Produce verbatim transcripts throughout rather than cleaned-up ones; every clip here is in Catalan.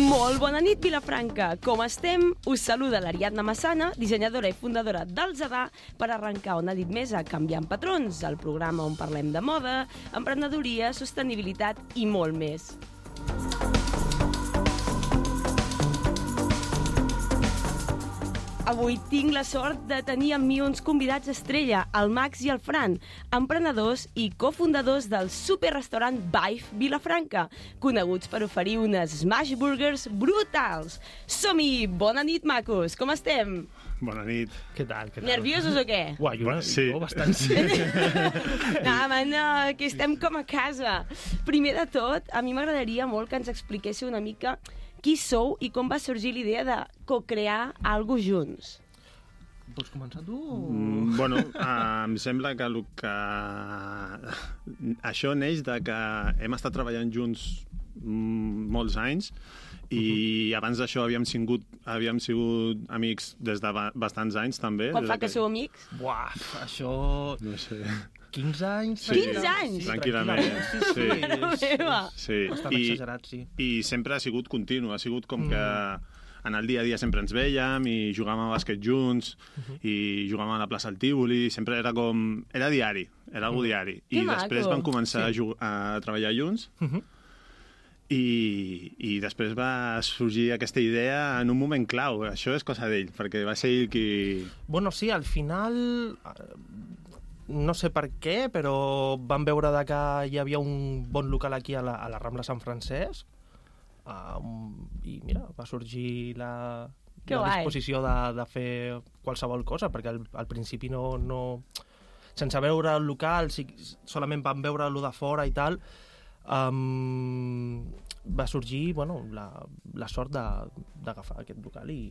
Molt bona nit, Vilafranca. Com estem? Us saluda l'Ariadna Massana, dissenyadora i fundadora del Zadà, per arrencar una nit més a Canviant Patrons, el programa on parlem de moda, emprenedoria, sostenibilitat i molt més. Avui tinc la sort de tenir amb mi uns convidats estrella, el Max i el Fran, emprenedors i cofundadors del superrestaurant Vive Vilafranca, coneguts per oferir unes smash burgers brutals. Som-hi! Bona nit, macos! Com estem? Bona nit. Què tal? Què tal? Nerviosos o què? Uah, jo, sí. jo bastant sí. No, man, no, que estem com a casa. Primer de tot, a mi m'agradaria molt que ens expliquéssiu una mica qui sou i com va sorgir l'idea de co-crear alguna cosa junts. Vols començar tu? O... Mm, bueno, uh, em sembla que, el que això neix de que hem estat treballant junts mm, molts anys i uh-huh. abans d'això havíem sigut, havíem sigut amics des de ba bastants anys també. Quan fa que sou amics? Buah, això... No sé... quinze anys? Sí, quinze anys? Sí, tranquil·lament. Sí, sí. Sí. sí. Bastant I, exagerat, sí. I sempre ha sigut continu, ha sigut com Mm. que en el dia a dia sempre ens vèiem i jugàvem a bàsquet junts uh-huh. i jugàvem a la plaça del Tívoli, sempre era com... Era diari, era algo diari. Que I maco. després vam començar Sí. a, jug a treballar junts Uh-huh. i, i després va sorgir aquesta idea en un moment clau. Això és cosa d'ell, perquè va ser ell qui... Bueno, sí, al final... No sé per què, però vam veure de que hi havia un bon local aquí a la, a la Rambla Sant Francesc uh, i mira, va sorgir la, Que la guai. disposició de, de fer qualsevol cosa, perquè al, al principi no, no... Sense veure el local, sí, solament vam veure lo de fora i tal, um, va sorgir bueno, la, la sort d'agafar aquest local i...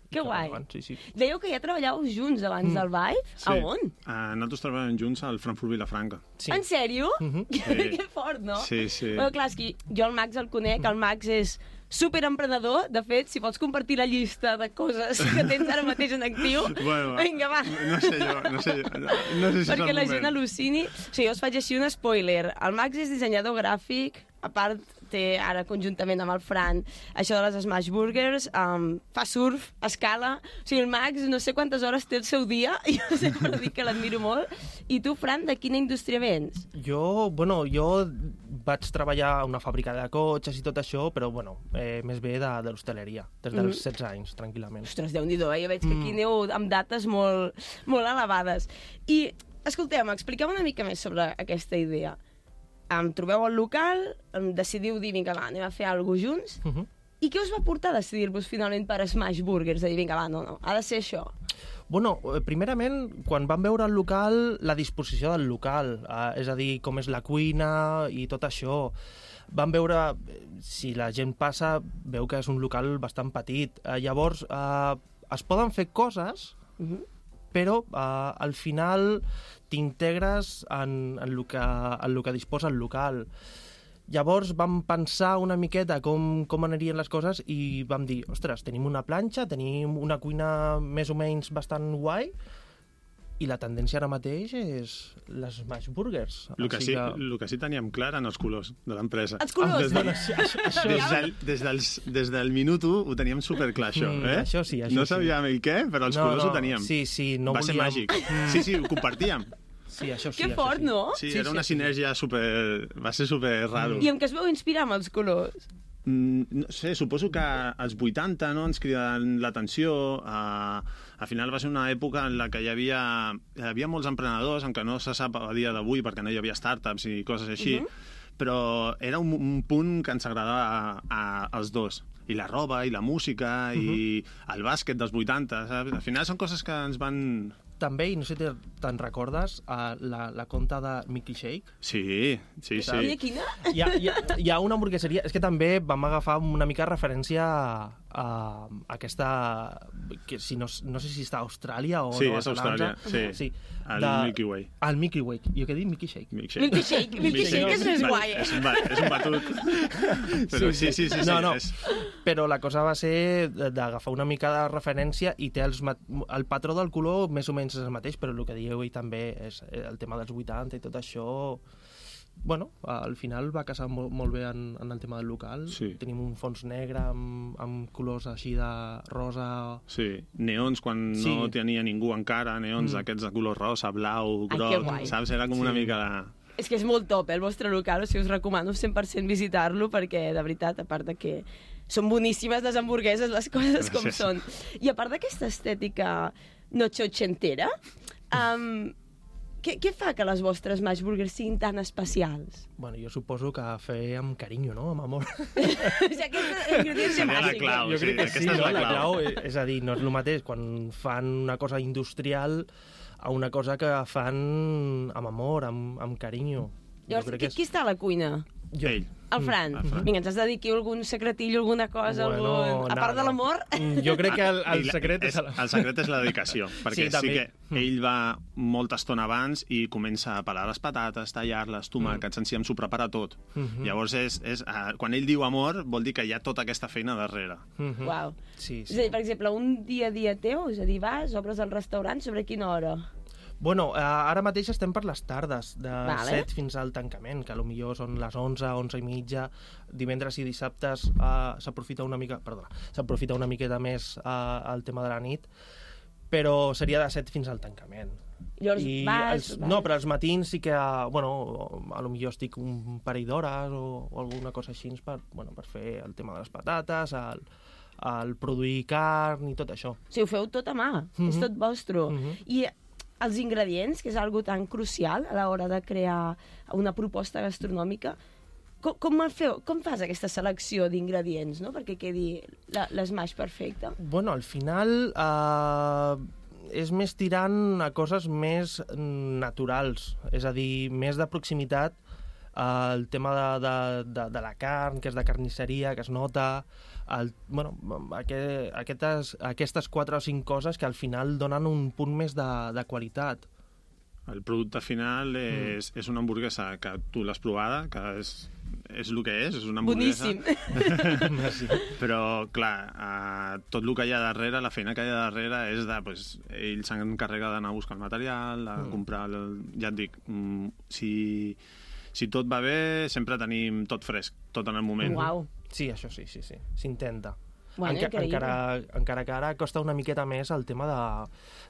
Que guai. Endavant, sí, sí. Dèieu que ja treballàveu junts abans Mm. del Vive? Sí. A on? Uh, nosaltres treballàvem junts al Frankfurt Vilafranca. Sí. En sèrio? Mhm. Sí. Que fort, no? Sí, sí. Bueno, clar, és que jo el Max el conec, el Max és superemprenedor. De fet, si pots compartir la llista de coses que tens ara mateix en actiu, Bueno, vinga, va. No sé jo, no sé jo. No, no sé si Perquè és el la moment. gent al·lucini. O sigui, jo us faig així un spoiler. El Max és dissenyador gràfic, a part té ara conjuntament amb el Fran això de les smash burgers, um, fa surf, escala. O sigui, el Max no sé quantes hores té el seu dia, i jo sempre dic que l'admiro molt. I tu, Fran, de quina indústria vens? Jo, bueno, jo vaig treballar a una fàbrica de cotxes i tot això, però, bueno, eh, més bé de, de l'hostaleria, des dels Mhm. setze anys, tranquil·lament. Ostres, Déu-n'hi-do, eh? Jo veig que aquí Mm. aneu amb dates molt, molt elevades. I, escolteu, expliqueu una mica més sobre aquesta idea. Em trobeu al local, em decidiu dir, vinga, va, anem a fer alguna cosa junts. Uh -huh. I què us va portar a decidir-vos finalment per Smash Burgers? A dir, vinga, va, no, no, ha de ser això. Bueno, eh, primerament, quan vam veure el local, la disposició del local, eh, és a dir, com és la cuina i tot això, vam veure, eh, si la gent passa, veu que és un local bastant petit. Eh, llavors, eh, es poden fer coses, Uh -huh. però eh, al final t'integres en, en, el que, en el que disposa el local. Llavors vam pensar una miqueta com, com anirien les coses i vam dir, ostres, tenim una planxa, tenim una cuina més o menys bastant guai i la tendència ara mateix és les smash burgers. El que, Així sí, el que sí teníem clar eren els colors de l'empresa. Els colors, Des, de, eh? Això, això, des, del, des, dels, des del minut u ho teníem superclar, això. Mm, Eh? això sí, això no sí. sabíem el què, però els No, colors no, ho teníem. sí, sí, no Va ser volíem- màgic. Mm. Sí, sí, ho compartíem. Sí, això sí. Que això fort, sí. no? Sí, Sí, era sí, una sí, sí. sinergia super... Va ser super raro. I amb què es veu inspirar amb els colors? Mm, no sé, suposo que als vuitanta no, ens criden l'atenció. Uh, al final va ser una època en la que hi havia, hi havia molts emprenedors, encara no se sap a dia d'avui perquè no hi havia startups i coses així, Mhm. uh -huh. però era un, un punt que ens agradava a, a, als dos. I la roba, i la música, uh -huh. i el bàsquet dels vuitanta, saps? Al final són coses que ens van... També, i no sé si te'n recordes, uh, la, la conta de Mickey Shake. Sí, sí, I sí. quina? Hi ha, hi, ha, hi ha una hamburgueseria... És que també vam agafar una mica referència a, a aquesta... Que si no, no sé si està a Austràlia o Sí, Nova és Austràlia, Zelanda. sí. sí. El de- Milky Way. El Milky Way. Jo què dic? Mickey Shake. Milkshake. Milkshake. Milkshake és més un guai, eh? És un, ba és un batut. Però sí, sí, sí. sí, No, no. És... Però la cosa va ser d'agafar una mica de referència i té els mat... el patró del color més o menys és el mateix, però el que dieu ell també és el tema dels vuitanta i tot això bueno, al final va casar molt, molt bé en, en el tema del local. Sí. Tenim un fons negre amb, amb colors així de rosa... Sí, neons quan Sí. no tenia ningú encara, neons Mm. aquests de color rosa, blau, Ai, groc, que guai. saps? Era com una Sí. mica... De... És que és molt top, eh, el vostre local, o sigui, us recomano cent per cent visitar-lo, perquè, de veritat, a part de que són boníssimes les hamburgueses, les coses com Gràcies. són. I a part d'aquesta estètica noche ochentera, um, què, què fa que les vostres Smash Burgers siguin tan especials? Bueno, jo suposo que fer amb carinyo, no? Amb amor. O sigui, aquesta ingredient Seria la bàsica. clau. Jo sí, crec que aquesta sí, és no? la La clau. clau, és, és a dir, no és el mateix quan fan una cosa industrial a una cosa que fan amb amor, amb, amb carinyo. Llavors, Jo crec qui, que és... qui està a la cuina? Jo. Ell. El Fran. el Fran. Vinga, ens has de dir aquí algun secretillo, alguna cosa, Bueno, algun... a part no, de no. l'amor? Mm, Jo crec que el, el I la- secret és... és, el secret és la dedicació, perquè Sí, sí, també. que ell va molta estona abans i comença a pelar les patates, tallar-les, tomàquets, en si s'ho prepara tot. Mhm. Llavors, és, és, eh, quan ell diu amor, vol dir que hi ha tota aquesta feina darrere. Mhm. Uau. Sí, És a sí. dir, per exemple, un dia a dia teu, és a dir, vas, obres el restaurant, sobre quina hora? Bueno, eh, ara mateix estem per les tardes, de Vale. set fins al tancament, que potser són les onze, onze i mitja. Divendres i dissabtes eh, s'aprofita una mica, perdona, s'aprofita una miqueta més eh, el tema de la nit, però seria de set fins al tancament. Llavors vas, els, vas... No, però els matins sí que, eh, bueno, a lo millor estic un parell d'hores o, o alguna cosa així per, bueno, per fer el tema de les patates, el, el produir carn i tot això. O sigui, ho feu tot a mà, Mhm. és tot vostre. Mhm. I els ingredients, que és algo tan crucial a l'hora de crear una proposta gastronòmica, com, com, el feu, com fas aquesta selecció d'ingredients, no?, perquè quedi la- l'esmaix perfecte? Bueno, al final eh, és més tirant a coses més naturals, és a dir, més de proximitat, eh, el tema de, de, de, de la carn, que és de carnisseria, que es nota, el, bueno, aquest, aquestes, aquestes quatre o cinc coses que al final donen un punt més de, de qualitat. El producte final és, mm. és una hamburguesa que tu l'has provada, que és, és el que és, és una hamburguesa. Boníssim. Merci. Però, clar, eh, tot el que hi ha darrere, la feina que hi ha darrere és de, pues, ell s'encarrega d'anar a buscar el material, de Mm. comprar, el, ja et dic, mm, si, si tot va bé, sempre tenim tot fresc, tot en el moment. Uau. Sí, això sí, sí, sí, s'intenta. Bueno, Enca increïble. encara, encara que ara costa una miqueta més el tema de,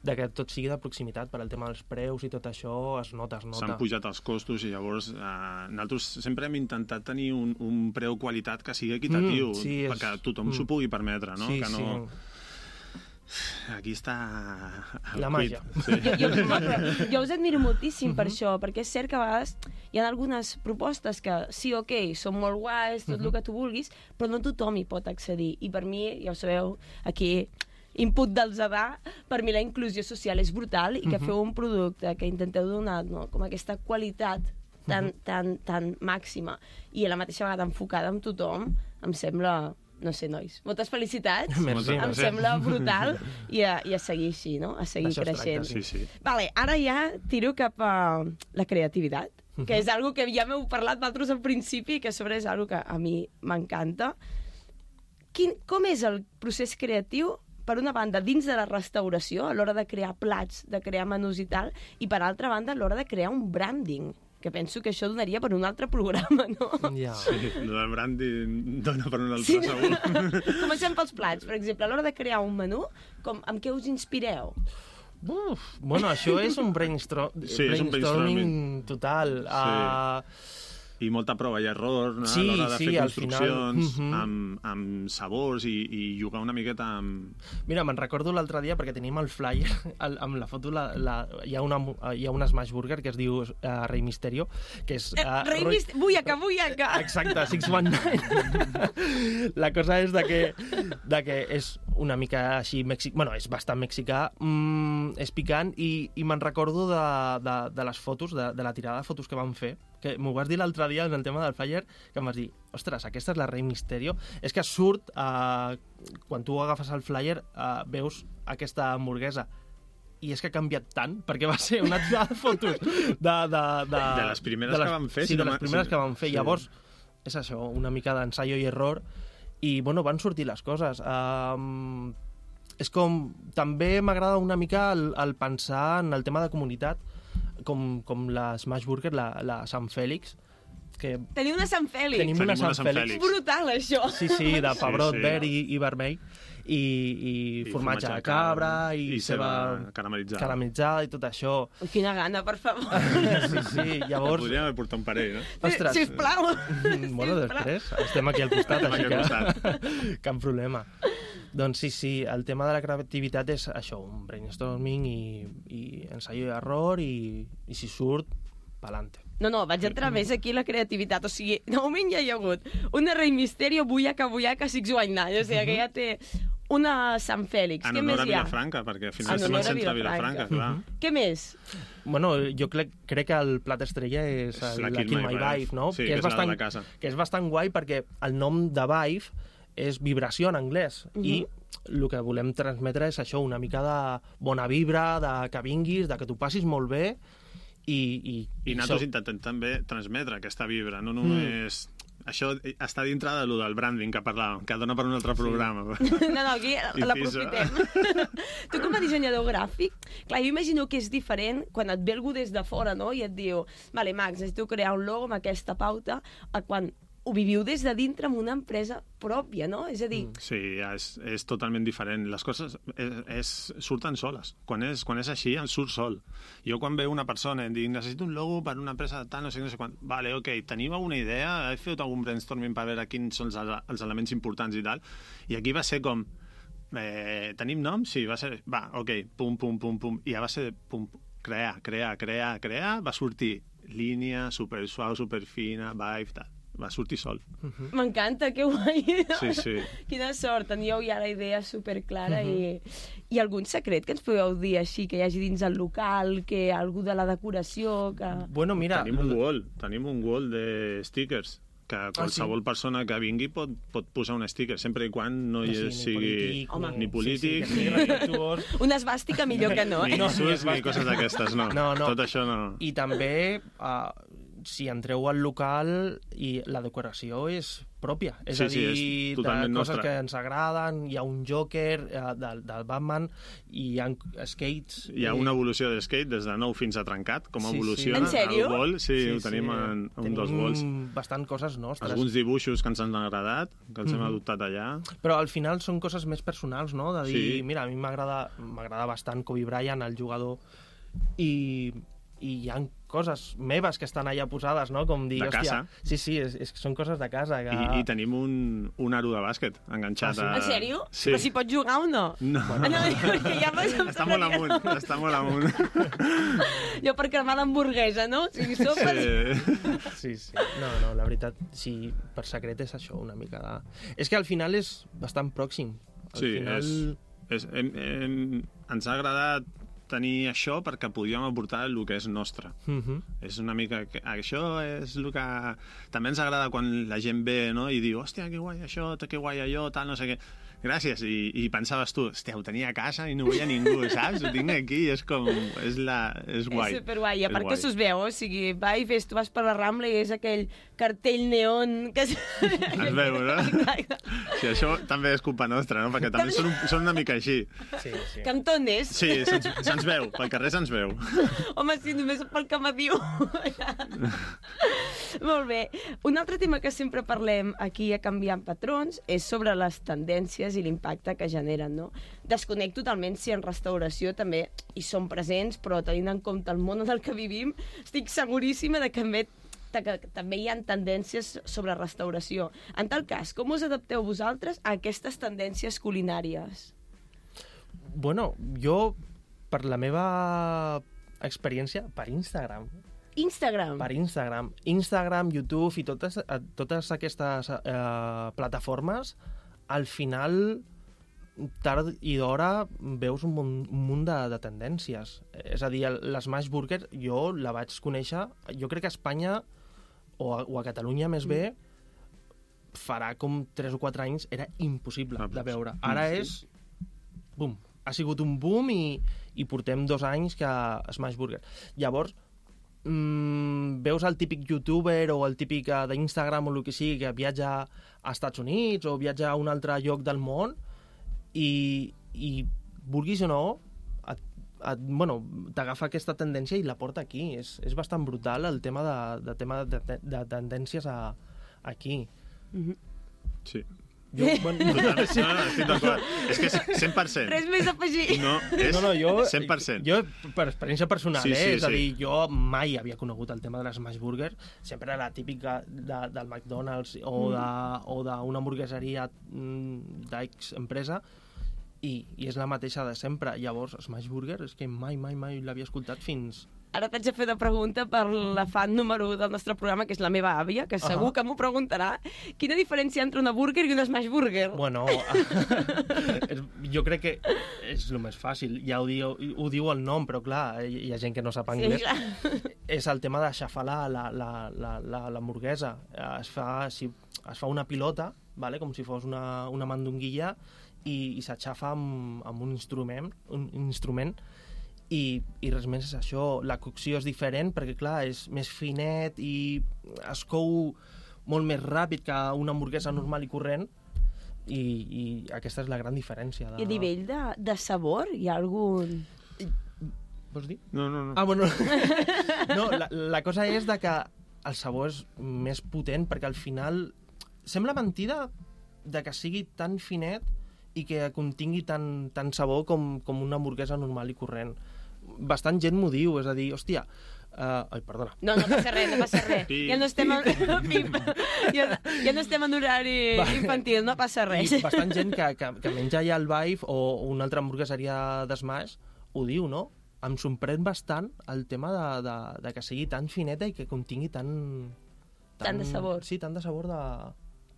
de que tot sigui de proximitat, per al tema dels preus i tot això es nota, es nota. S'han pujat els costos i llavors eh, nosaltres sempre hem intentat tenir un, un preu-qualitat que sigui equitatiu, Mm, sí, és- perquè tothom mm. s'ho pugui permetre, no? Sí, que no... sí. Aquí està... el La quid. màgia. Sí. Jo, jo, no, però jo us admiro moltíssim per Mhm. això, perquè és cert que a vegades hi ha algunes propostes que sí, ok, són molt guais, tot el Mhm. que tu vulguis, però no tothom hi pot accedir. I per mi, ja ho sabeu, aquí input del Zadà, per mi la inclusió social és brutal i que Mhm. feu un producte que intenteu donar, no, com aquesta qualitat tan, Mhm. tan, tan màxima i a la mateixa vegada enfocada amb tothom, em sembla... No sé, nois. Moltes felicitats. Merci, Em merci. sembla brutal i a, i a seguir així, no? A seguir D'això es tracta, creixent. Sí, sí. Vale, ara ja tiro cap a la creativitat, que Mhm. és algo que ja m'heu parlat vosaltres al principi i que a sobre és algo que a mi m'encanta. Quin, com és el procés creatiu, per una banda, dins de la restauració, a l'hora de crear plats, de crear menús i tal, i per altra banda, a l'hora de crear un branding, que penso que això donaria per un altre programa, no? Ja. Sí, el branding dona per un altre, Sí. segur. Comencem pels plats, per exemple, a l'hora de crear un menú, com, amb què us inspireu? Uf, bueno, això és un brainstorm, Sí, és un brainstorming total. Sí. Uh, I molta prova i error, no? Sí, a l'hora de sí, fer al final. construccions, Mhm. amb, amb sabors i, i jugar una miqueta amb... Mira, me'n recordo l'altre dia perquè tenim el flyer, el, amb la foto la, la, hi, ha una, hi ha una Smash Burger que es diu uh, Rei Misterio, que és... Eh, Uh, Rei Mist... Buiaca, buiaca! Exacte, sis one nine. La cosa és de que, de que és una mica així mèxic... Bueno, és bastant mexicà, mm, és picant, i, i me'n recordo de, de, de les fotos, de, de la tirada de fotos que vam fer, que m'ho vas dir l'altre dia en el tema del flyer, que em vas dir, ostres, aquesta és la Rei Misterio. És que surt, eh, quan tu agafes el flyer, eh, veus aquesta hamburguesa, i és que ha canviat tant, perquè va ser una tirada de fotos de... De, de, De les primeres que vam fer, Sí, si de no les m'ha- primeres sí. que vam fer. Sí. Llavors, és això, una mica d'ensaio i error, i, bueno, van sortir les coses. Um, és com... També m'agrada una mica el, el pensar en el tema de comunitat, com, com la Smash Burger, la, la Sant Fèlix, que Teniu una Sant Fèlix. tenim Tenim una una Sant Sant Fèlix. Fèlix. Brutal, això. Sí, sí, de pebrot sí. verd i, i vermell, i, i, I formatge de cabra, i, i ceba caramelitzada. caramelitzada i tot això. Ui, quina gana, per favor. Sí, sí, llavors... Podríem haver portat un parell, no? Ostres. Sisplau. Bueno, després, estem aquí al costat, Estem així aquí al que cap problema. Doncs sí, sí, el tema de la creativitat és això, un brainstorming i, i ensaio i error, i, i si surt, pa'lante. No, no, vaig entrar més aquí la creativitat. O sigui, de moment ja hi ha hagut una Rei Misterio, bullaca, bullaca, six white night. O sigui, que ja té una Sant Fèlix. En Què honor més a hi ha? Vilafranca, perquè al final En estem honor al a centre de Vilafranca. Vilafranca, clar. Què més? Bueno, jo crec, crec que el plat estrella és, És el, la la Kill Kill My My Vibe, Vibe, no? sí, que, que és és la de bastant, la casa. que és bastant guai perquè el nom de Vibe és vibració en anglès, Mhm. i el que volem transmetre és això, una mica de bona vibra, de que vinguis, de que t'ho passis molt bé, i... I, I nosaltres intentem també transmetre aquesta vibra, no només... Mm. Això està dintre de lo del branding que parlàvem, que dona per un altre programa. No, no, aquí Inciso. l'aprofitem. Tu com a dissenyador gràfic, clar, jo imagino que és diferent quan et ve algú des de fora, no?, i et diu, vale, Max, necessito crear un logo amb aquesta pauta, a quan ho viviu des de dintre amb una empresa pròpia, no? És a dir... Sí, és, és totalment diferent. Les coses és, és, surten soles. Quan és, quan és així, en surt sol. Jo quan veu una persona i em dic, necessito un logo per una empresa de tal, no sé, no sé quan... Vale, ok, teniu alguna idea? Heu fet algun brainstorming per veure quins són els, els elements importants i tal? I aquí va ser com... Eh, tenim nom? Sí, va ser... Va, ok, pum, pum, pum, pum. I ja va ser pum, crear, crear, crear, crear. Va sortir línia, super suau, super fina, vibe, tal. Va sortir sol. M'encanta, que guai. Sí, sí. Quina sort, teníeu ja la idea superclara. Uh -huh. i, I algun secret que ens podeu dir així, que hi hagi dins el local, que algú de la decoració... Que... Bueno, mira... Tenim un wall, tenim un wall de stickers que qualsevol ah, sí? persona que vingui pot, pot posar un sticker, sempre i quan no hi sí, sigui polític, ni polític, sí, sí, ni, respectuós. Una esbàstica millor que no, eh? ni No, insults, ni ni coses d'aquestes, no. No, no. Tot això no. I també, uh, si entreu al local, i la decoració és pròpia. És Sí, a sí, dir, és de totalment coses nostra. que ens agraden, hi ha un Joker uh, del, del Batman, i hi ha skates... Hi ha una evolució de skate des de nou fins a trencat, com Sí, sí. evoluciona En sèrio? el wall. Sí, sí, ho tenim en, en un tenim dels walls. bastant coses nostres. Alguns dibuixos que ens han agradat, que els hem Mhm. adoptat allà. Però al final són coses més personals, no? De dir, Sí. mira, a mi m'agrada m'agrada bastant Kobe Bryant, el jugador, i, i hi ha coses meves que estan allà posades, no? Com dir, De hòstia... casa. Sí, sí, és, és, són coses de casa. Que... I, I tenim un, un aro de bàsquet enganxat Ah, sí? a... En sèrio? Sí. Però si pots jugar o no? No. Ah, no, perquè ja m'has Està molt amunt, està molt amunt. Jo per cremar l'hamburguesa, no? O sigui, sopes... Sí. Sí, sí. No, no, la veritat, sí, per secret és això, una mica de... És que al final és bastant pròxim. Al Sí, final... és, és, hem, hem, ens ha agradat tenir això perquè podíem aportar el que és nostre. Uh -huh. És una mica... Que, això és el que... També ens agrada quan la gent ve, no?, i diu, hòstia, que guai això, que guai allò, tal, no sé què. Gràcies, i, i pensaves tu, hòstia, ho tenia a casa i no ho veia ningú, saps? Ho tinc aquí i és com... És, la, és guai. És superguai, i a És part guai. que s'us veu, o sigui, va i fes, tu vas per la Rambla i és aquell cartell neon que... Es Es veu, no? Sí, això també és culpa nostra, no? Perquè també són, un- són una mica així. Sí, sí. Cantones. Sí, se'ns se veu, pel carrer se'ns veu. Home, sí, només pel que me diu. Molt bé. Un altre tema que sempre parlem aquí a Canviant Patrons és sobre les tendències i l'impacte que generen, no? Desconec totalment si en restauració també hi són presents, però tenint en compte el món en el que vivim, estic seguríssima de que també que també hi ha tendències sobre restauració. En tal cas, com us adapteu vosaltres a aquestes tendències culinàries? Bueno, jo, per la meva experiència, per Instagram, Instagram. per Instagram, Instagram, YouTube i totes, eh, totes aquestes eh, plataformes, al final, tard i d'hora, veus un munt, un munt de, de tendències. És a dir, el- l'Smash Burger, jo la vaig conèixer, jo crec que a Espanya, o a, o a Catalunya més bé, farà com tres o quatre anys, era impossible Ah, de pues, veure. Ara sí. és... Bum. Ha sigut un boom i, i portem dos anys que Smash Burger. Llavors, mmm, veus el típic youtuber o el típic eh, d'Instagram o el que sigui que viatja a Estats Units o viatja a un altre lloc del món i, i vulguis o no, et, et, bueno, t'agafa aquesta tendència i la porta aquí. És, és bastant brutal el tema de, de, tema de, de, de tendències a, aquí. Mm-hmm. Sí. Jo, bueno, Totalment, no, no, estic d'acord. És que és cent per cent. Res més a afegir. No, és no, no, jo, cent per cent. Jo, per experiència personal, Sí, eh? sí, és a sí. dir, jo mai havia conegut el tema de l'Smash Burger. Sempre era la típica de, del McDonald's o d'una hamburgueseria mm, d'X empresa, i, i és la mateixa de sempre. Llavors, Smash Burger és que mai, mai, mai l'havia escoltat fins... Ara t'haig de fer una pregunta per la fan número un del nostre programa, que és la meva àvia, que segur Uh-huh. que m'ho preguntarà. Quina diferència entre una burger i una smash burger? Bueno, jo crec que és el més fàcil. Ja ho diu, ho diu el nom, però clar, hi ha gent que no sap anglès. Sí, clar. És el tema d'aixafar la, la, la, la, la, l'hamburguesa. Es fa, si, es fa una pilota, vale? Com si fos una, una mandonguilla, i, i s'aixafa amb, amb un instrument, un instrument i, i res més és això. La cocció és diferent perquè, clar, és més finet i es cou molt més ràpid que una hamburguesa normal i corrent, i, i aquesta és la gran diferència. De... I a nivell de, de sabor, hi ha algun... Vols dir? No, no, no. Ah, bueno. No, la, la cosa és de que el sabor és més potent perquè al final sembla mentida de que sigui tan finet i que contingui tant, tant sabor com, com una hamburguesa normal i corrent. Bastant gent m'ho diu, és a dir, hòstia, uh, ai, perdona. No, no passa res, no passa res. Pip. Ja no estem en... Pip. Ja, ja no estem en horari infantil, no passa res. I bastant gent que, que, que menja ja el Vive o una altra hamburgueseria d'Smash ho diu, no? Em sorprèn bastant el tema de, de, de que sigui tan fineta i que contingui tant... Tant de sabor. Sí, tant de sabor de,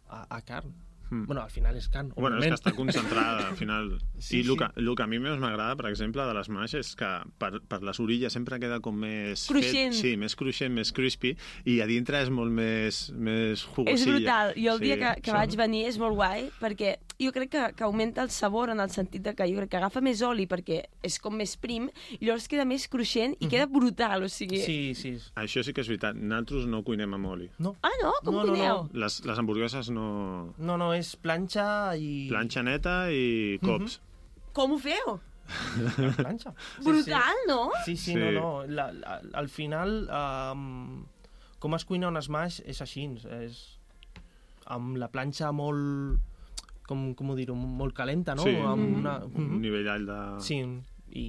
a, a carn. Mm. Bueno, al final és carn, Bueno, és òbviament. que està concentrada, al final. Sí, I el sí. que, el que a mi més m'agrada, per exemple, de l'Smash és que per, per les orilles sempre queda com més... Cruixent. Fet, sí, més cruixent, més crispy, i a dintre és molt més, més És jugosilla. brutal. Jo el Sí, dia que, que això. vaig venir és molt guai, perquè jo crec que, que augmenta el sabor en el sentit de que jo crec que agafa més oli perquè és com més prim, i llavors queda més cruixent i queda brutal, o sigui... Sí, sí. Això sí que és veritat. Nosaltres no cuinem amb oli. No, Ah, no? Com No, no, cuineu? no. Les, les hamburgueses no... no, no és planxa i... Planxa neta i cops. Com ho feu? Planxa. Sí, Brutal, no? Sí, sí, Sí. no, no. La, la, al final, um, com es cuina un Smash és així, és amb la planxa molt... Com, com ho dir-ho? Molt calenta, no? Sí, Amb una... un Mhm. nivell alt de... Sí, i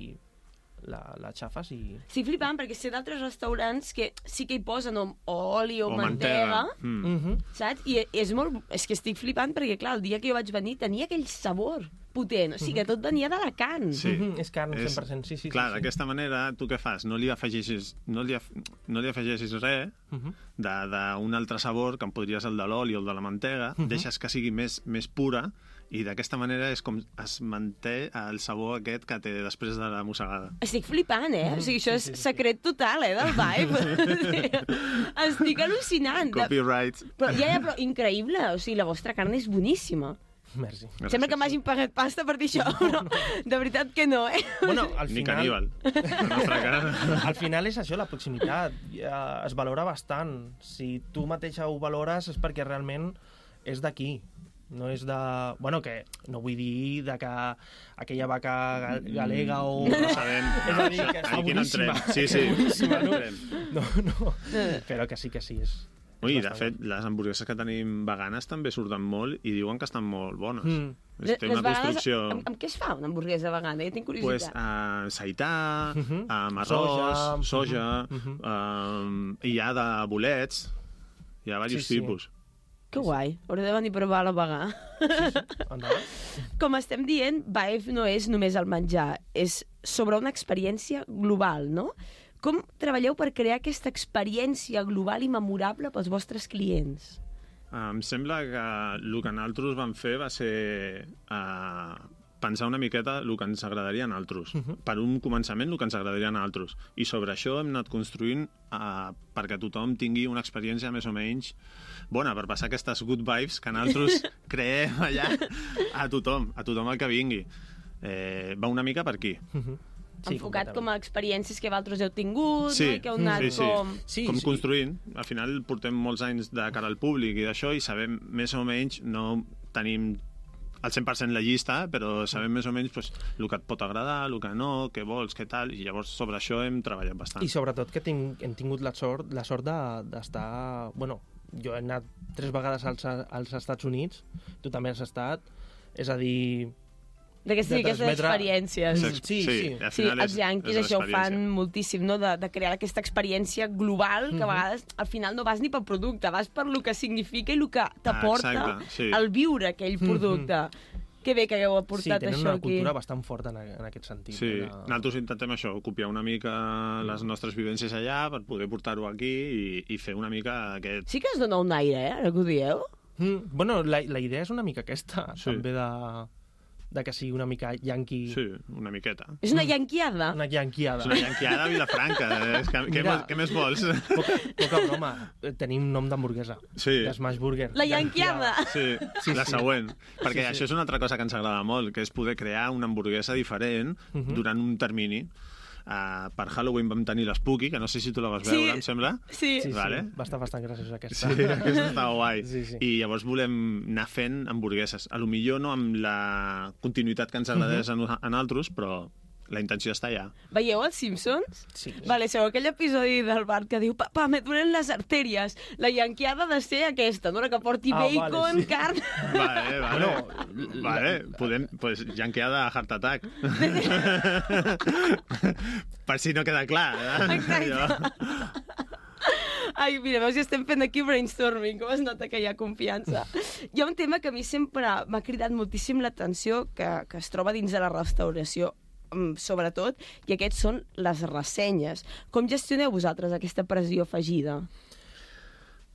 la, la xafes i... Estic flipant perquè sé d'altres restaurants que sí que hi posen o, o oli o, O mantega, mantega. Mm. Mhm. saps? I és molt... És que estic flipant perquè, clar, el dia que jo vaig venir tenia aquell sabor potent, o sigui que tot venia de la carn. Sí. Mhm, és carn, És- cent per cent, sí, sí. Clar, sí, sí. d'aquesta manera, tu què fas? No li afegeixis, no li, af... no li afegeixis res Mhm. d'un altre sabor, que en podria ser el de l'oli o el de la mantega, Mhm. deixes que sigui més, més pura, i d'aquesta manera és com es manté el sabor aquest que té després de la mossegada. Estic flipant, eh? O sigui, això és sí, sí, sí. secret total, eh, del Vibe. Estic al·lucinant. De- Copyright. Però, ja, ja, però increïble. O sigui, la vostra carn és boníssima. Merci. Gràcies. Sembla que m'hagin pagat pasta per dir això, però de veritat que no, eh? Bueno, al Ni final... caníbal. La nostra carn. Al final és això, la proximitat. Ja es valora bastant. Si tu mateixa ho valores és perquè realment és d'aquí. No és de... Bueno, que no vull dir de que aquella vaca ga- galega o... No sabem. És a dir, que està Aquí no entrem. boníssima. Sí, sí. Boníssima, no? entrem. No, no. Però que sí que sí, és... Ui, és de bastant fet, les hamburgueses que tenim veganes també surten molt i diuen que estan molt bones. Mm. És, té una vegades, construcció... amb, amb què es fa una hamburguesa vegana? Ja tinc Pues, curiositat. uh, seità, Mhm. amb arròs, Soja, soja, mhm, um, i hi ha de bolets, hi ha diversos Sí, sí. tipus. Que guai. Hauré de venir a provar la vegà. Endavant. Com estem dient, Vibe no és només el menjar, és sobre una experiència global, no? Com treballeu per crear aquesta experiència global i memorable pels vostres clients? Uh, em sembla que el que nosaltres vam fer va ser uh, pensar una miqueta el que ens agradaria a nosaltres. Uh -huh. Per un començament, el que ens agradaria a nosaltres. I sobre això hem anat construint uh, perquè tothom tingui una experiència més o menys bona, per passar aquestes good vibes que nosaltres creem allà a tothom, a tothom el que vingui. Eh, va una mica per aquí. Mhm. Sí, Enfocat completament. com a experiències que vosaltres heu tingut, Sí, no? I que heu anat sí, sí. com... Sí, com sí. construint. Al final portem molts anys de cara al públic i d'això i sabem més o menys, no tenim al cent per cent la llista, però sabem més o menys pues, el que et pot agradar, el que no, què vols, què tal, i llavors sobre això hem treballat bastant. I sobretot que tinc, hem tingut la sort, la sort d'estar... De, bueno, jo he anat tres vegades als, als Estats Units, tu també has estat, és a dir... De que sí, de aquestes transmetre... experiències. Sí, sí. sí, sí. Sí, els yanquis això ho fan moltíssim, no? de, de crear aquesta experiència global que a vegades al final no vas ni pel producte, vas per lo que significa i el que t'aporta ah, sí. el viure aquell producte. Que bé que hagueu aportat sí, tenen això una aquí. cultura bastant forta en, en aquest sentit. Sí, de... nosaltres intentem això, copiar una mica les nostres vivències allà per poder portar-ho aquí i, i fer una mica aquest... Sí que es dona un aire, eh, ara que ho dieu. Mm, bueno, la, la idea és una mica aquesta, Sí. també de, de que sigui una mica yanqui... Sí, una miqueta. És una yanquiada. Una yanquiada. És una yanquiada a Vilafranca. Eh? Que, què, Mira. què més vols? Poca, poca broma, eh, tenim nom d'hamburguesa. Sí. De Smash Burger. La yanquiada. Sí, Sí, la sí. següent. Perquè Sí, sí. això és una altra cosa que ens agrada molt, que és poder crear una hamburguesa diferent uh -huh. durant un termini. Uh, per Halloween vam tenir l'Spooky, que no sé si tu la vas veure, Sí. em sembla. Sí. Sí, sí, Vale. va estar bastant graciosa aquesta. Sí, aquesta està guai. Sí, sí. I llavors volem anar fent hamburgueses. A lo millor no amb la continuïtat que ens agradés uh -huh. a nosaltres, però la intenció està allà. Veieu els Simpsons? Sí. Vale, sabeu aquell episodi del Bart que diu papà, me duelen les artèries. La yanquiada ha de ser aquesta, no? La que porti Ah, bacon, vale, sí. carn... Vale, vale. Bueno, vale, podem... Pues, yanqueada a Heart Attack. Per si no queda clar. Eh? Exacte. Allò. Ai, mira, veus, ja estem fent aquí brainstorming, com es nota que hi ha confiança. Hi ha un tema que a mi sempre m'ha cridat moltíssim l'atenció, que, que es troba dins de la restauració, sobretot, i aquests són les ressenyes. Com gestioneu vosaltres aquesta pressió afegida?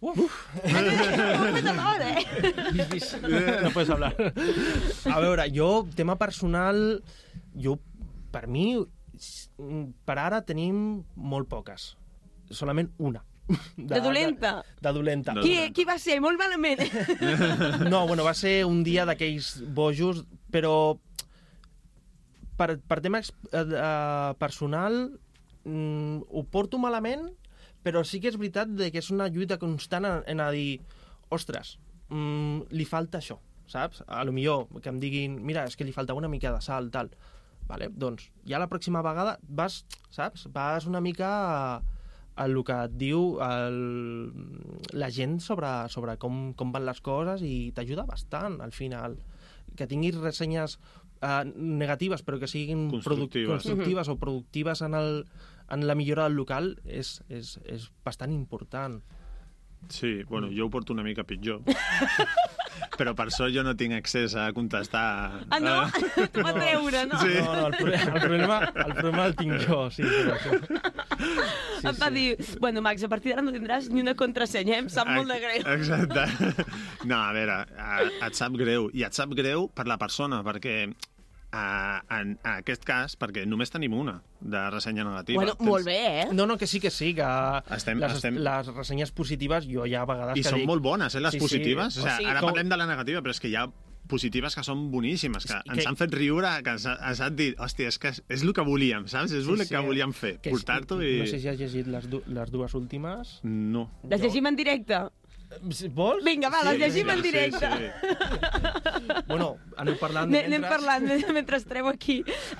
Uf. eh? No puedes hablar. A veure, jo, tema personal, jo, per mi, per ara tenim molt poques. Solament una. De, de dolenta? De, de dolenta. De Qui, dolenta. qui va ser? Molt malament. No, bueno, va ser un dia d'aquells bojos, però per, per tema uh, personal mm, ho porto malament, però sí que és veritat de que és una lluita constant en, en a dir, ostres, mm, li falta això, saps? A lo millor que em diguin, mira, és que li falta una mica de sal, tal. Vale, doncs, ja la pròxima vegada vas, saps? Vas una mica a, a el que et diu el, la gent sobre, sobre com, com van les coses i t'ajuda bastant, al final. Que tinguis ressenyes uh, negatives, però que siguin Constructives. constructives o productives en, el, en la millora del local és, és, és bastant important. Sí, bueno, jo ho porto una mica pitjor. Però per sort jo no tinc accés a contestar... Ah, no? T'ho va treure, no? Sí. No, no, el, problema, el, problema, el problema el tinc jo, sí. Però això. Sí, em va sí. dir, bueno, Max, a partir d'ara no tindràs ni una contrasenya, eh? Em sap molt de greu. Exacte. No, a veure, et sap greu. I et sap greu per la persona, perquè a, en, en aquest cas, perquè només tenim una de ressenya negativa. Bueno, Tens... molt bé, eh? No, no, que sí, que sí, que Estem- les, estem- les ressenyes positives jo ja a vegades I que són dic... molt bones, eh, les Sí, positives. sí. O sigui, O sigui, ara com- parlem de la negativa, però és que hi ha positives que són boníssimes, que, que- ens han fet riure, que ens, ha- ens han dit, hòstia, és que és, és el que volíem, saps? És el que volíem fer, Que- portar-t'ho i... No sé si has llegit les, du les dues últimes. No. Les llegim en directe? Vols? Vinga, va, les llegim en sí, directe. sí. Bueno, aneu parlant... Anem, anem mentre- parlant mentre treu aquí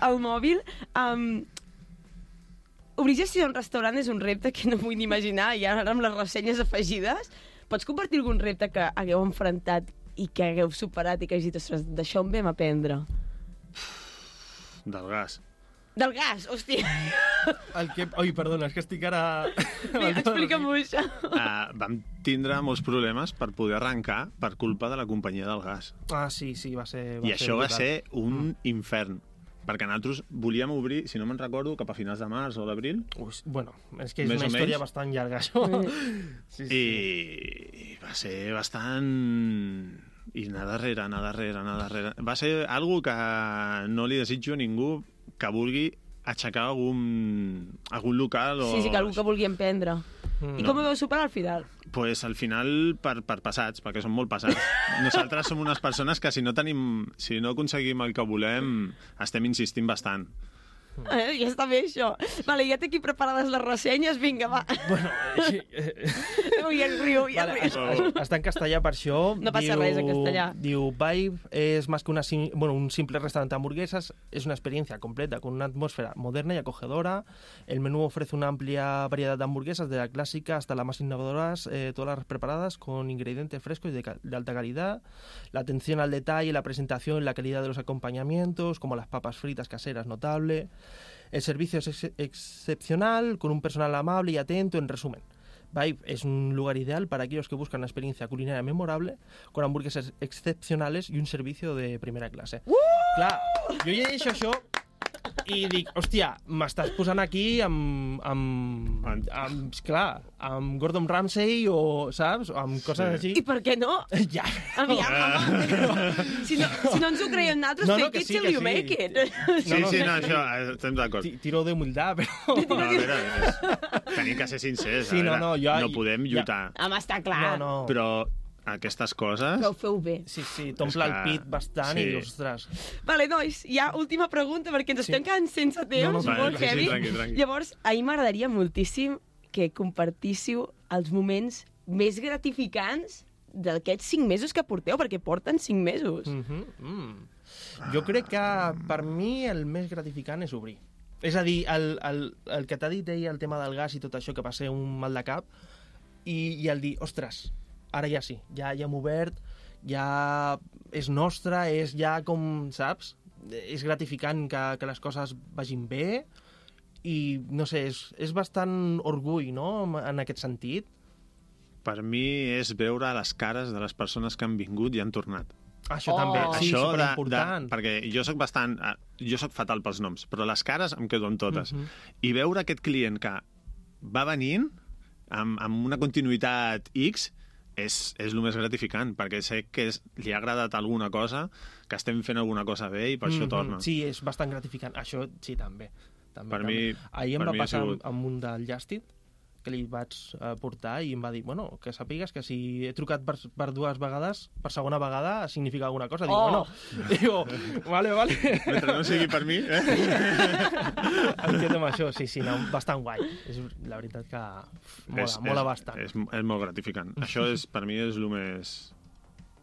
el mòbil. Um, obrir gestió en restaurant és un repte que no vull ni imaginar, i ara amb les ressenyes afegides. Pots compartir algun repte que hagueu enfrontat i que hagueu superat i que hagi dit, ostres, d'això en vam aprendre? Del gas. Del gas, hòstia. El que... Oi, perdona, és que estic ara... Vinga, explica'm-ho, això. Uh, vam tindre molts problemes per poder arrencar per culpa de la companyia del gas. Ah, sí, sí, va ser... Va I això va brutal. ser un infern. Perquè nosaltres volíem obrir, si no me'n recordo, cap a finals de març o d'abril. Ui, bueno, és que és Més una o història menys. bastant llarga, això. Sí, sí. I, I va ser bastant... I anar darrere, anar darrere, anar darrere. Va ser algo que no li desitjo a ningú que vulgui aixecar algun, algun local o... Sí, sí, que algú que vulgui emprendre. Mm. I com ho vau superar al final? Pues al final per, per passats, perquè som molt passats. Nosaltres som unes persones que si no tenim, si no aconseguim el que volem, estem insistint bastant. Eh, ja està bé, això. Vale, ja té aquí preparades les ressenyes, vinga, va. Bueno, sí, eh, Ja riu, ja vale, riu. es- es- està en castellà per això. No passa res, en castellà. Diu, Vibe es más que una, sim- bueno, un simple restaurante de hamburguesas, es una experiencia completa con una atmósfera moderna y acogedora. El menú ofrece una amplia variedad de hamburguesas, de la clásica hasta las más innovadoras, eh, todas las preparadas con ingredientes frescos y de, ca- de alta calidad. La atención al detalle, la presentación, la calidad de los acompañamientos, como las papas fritas caseras, notable. El servicio es ex- excepcional, con un personal amable y atento, en resumen. Vibe es un lugar ideal para aquellos que buscan una experiencia culinaria memorable, con hamburguesas excepcionales y un servicio de primera clase. Uh! Clar, jo llegeixo això i dic, hòstia, m'estàs posant aquí amb, amb, amb, clar, amb Gordon Ramsay o, saps, o amb coses Sí. així. I per què no? Ja. Aviam, home. Si no, si no ens ho creiem nosaltres, No, no, fake que it sí, till que you sí. make it. Sí, No, no, sí, sí. no, això, eh, estem d'acord. Ti- Tiro de humildad, però... No, a veure, és, tenim que ser sincers. Sí, a no, veure, no, jo- no podem ja- lluitar. Home, està clar. No, no. Però aquestes coses... Però ho feu bé. Sí, sí, t'omple És el que- pit bastant sí. i, ostres... Vale, nois, ja última pregunta, perquè ens Sí. estem quedant sense temps, No, no, Vale, molt sí, sí, heavy. tranqui, tranqui. Llavors, a mi m'agradaria moltíssim que compartíssiu els moments més gratificants d'aquests cinc mesos que porteu, perquè porten cinc mesos. Mm -hmm. mm. Jo crec que per mi el més gratificant és obrir. És a dir, el, el, el que t'ha dit ell, el tema del gas i tot això, que va ser un mal de cap, i, i el dir, ostres, ara ja sí, ja, ja hem obert, ja és nostre, és ja com, saps? És gratificant que, que les coses vagin bé i, no sé, és, és bastant orgull, no?, en aquest sentit. Per mi és veure les cares de les persones que han vingut i han tornat. Això Oh. també, sí, Això de, de, superimportant. perquè jo sóc bastant... eh, Jo sóc fatal pels noms, però les cares em quedo amb totes. Mhm. I veure aquest client que va venint amb, amb una continuïtat X és, és el més gratificant, perquè sé que és, li ha agradat alguna cosa, que estem fent alguna cosa bé i per això Mhm. torna. Sí, és bastant gratificant. Això sí, també. també Per també. mi- Ahir em per va mi ha passar sigut- amb, amb un del Justit, que li vaig eh, portar i em va dir, bueno, que sàpigues que si he trucat per, per dues vegades, per segona vegada significa alguna cosa. Dic, Oh. bueno, digo, vale, vale. Mentre no sigui per mi, eh? Em quedo amb això, sí, sí, no, bastant guai. És la veritat que mola, és, mola és, bastant. És, és molt gratificant. Això és, per mi és el més...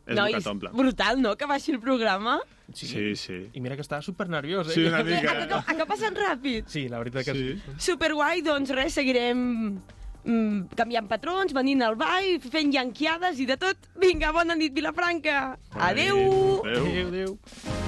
És el Nois, que t'omple. brutal, no?, que baixi el programa. Sí, sí. I mira que estava super nerviós, eh? Sí, una Ha, mica. ha, ha passat ràpid. Sí, la veritat que sí. Sí. Superguai, doncs res, seguirem mm, canviant patrons, venint al ball, fent llanquiades i de tot. Vinga, bona nit, Vilafranca. Adeu! Adéu. Adéu, adéu.